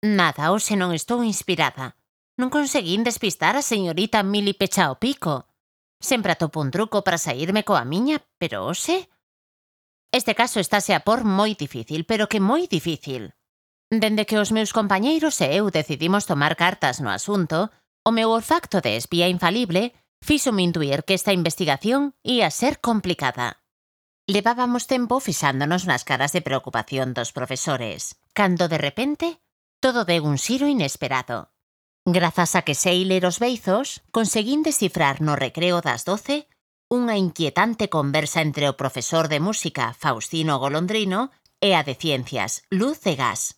Nada, hoxe non estou inspirada. Non conseguín despistar a señorita Mili Pechao Pico. Sempre atopo un truco para saírme coa miña, pero hoxe... Este caso estáse a por moi difícil, pero que moi difícil. Dende que os meus compañeiros e eu decidimos tomar cartas no asunto, o meu olfacto de espía infalible fíxome intuir que esta investigación ia ser complicada. Levábamos tempo fixándonos nas caras de preocupación dos profesores, cando de repente todo deu un xiro inesperado. Grazas a que sei ler os beizos, conseguín descifrar no recreo das 12 unha inquietante conversa entre o profesor de música, Faustino Golondrino, e a de ciencias, Luz de Gas.